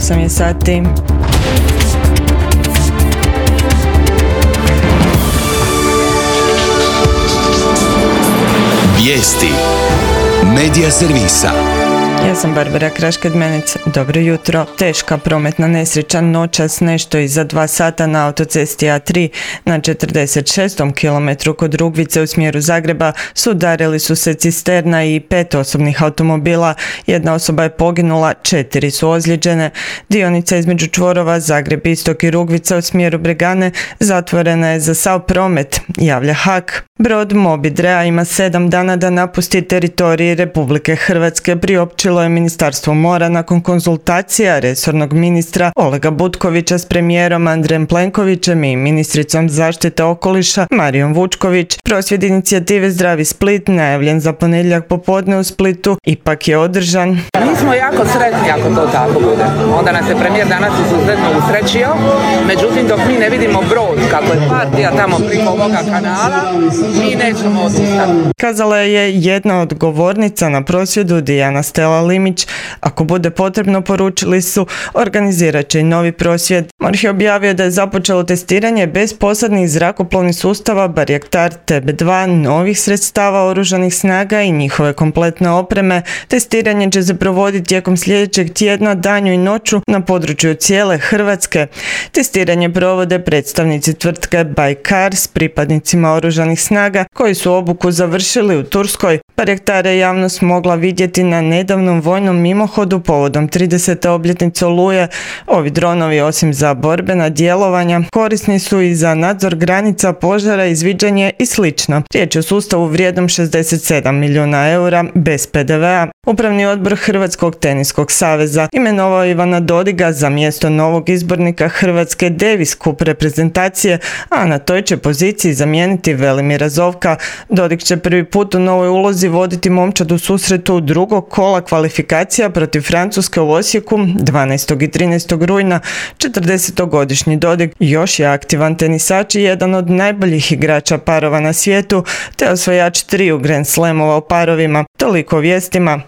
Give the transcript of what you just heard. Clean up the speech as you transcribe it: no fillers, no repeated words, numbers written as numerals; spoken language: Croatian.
8 je sati. Vijesti Medija servisa. Ja sam Barbara Kraškadmenec. Dobro jutro. Teška prometna nesreća noćas nešto iza 2 sata na autocesti A3 na 46. kilometru kod Rugvice u smjeru Zagreba sudarili su se cisterna i 5 osobnih automobila. Jedna osoba je poginula, 4 su ozlijeđene. Dionica između čvorova Zagreb Istok i Rugvica u smjeru Bregane zatvorena je za sav promet, javlja HAK. Brod Moby Drea ima 7 dana da napusti teritorij Republike Hrvatske, priopćilo je Ministarstvo mora nakon konzultacija resornog ministra Olega Butkovića s premijerom Andrejem Plenkovićem i ministricom zaštite okoliša Marijom Vučković. Prosvjed inicijative Zdravi Split, najavljen za ponedjeljak popodne u Splitu, ipak je održan. Mi smo jako sretni ako to tako bude. Onda nas je premijer danas izuzetno usrećio, međutim dok mi ne vidimo brod kako je partija tamo preko ovoga kanala, mi nećemo odustati. Kazala je jedna od govornica na prosvjedu, Dijana Stela Limić. Ako bude potrebno, poručili su, organizirat će i novi prosvjed. MORH je objavio da je započelo testiranje bez posadnih zrakoplovnih sustava Bayraktar TB2, novih sredstava oružanih snaga i njihove kompletne opreme. Testiranje će se provoditi tijekom sljedećeg tjedna, danju i noću na području cijele Hrvatske. Testiranje provode predstavnici tvrtke Baykar s pripadnicima oružanih snaga koji su obuku završili u Turskoj. Bayraktare je javnost mogla vidjeti na nedavnom vojnom mimohodu povodom 30. obljetnice Oluje. Ovi dronovi, osim za borbena djelovanja, korisni su i za nadzor granica, požara, izviđanje i sl. Riječ je o sustavu vrijednom 67 milijuna eura bez PDV-a. Upravni odbor Hrvatskog teniskog saveza imenovao Ivana Dodiga za mjesto novog izbornika Hrvatske Davis Cup reprezentacije, a na toj će poziciji zamijeniti Velimira Zovka. Dodig će prvi put u novoj ulozi voditi momčad u susretu drugog kola kvalifikacija protiv Francuske u Osijeku 12. i 13. rujna. 40-godišnji Dodig još je aktivan tenisač i jedan od najboljih igrača parova na svijetu, te osvajač 3 Grand Slamova u parovima. Toliko o vijestima.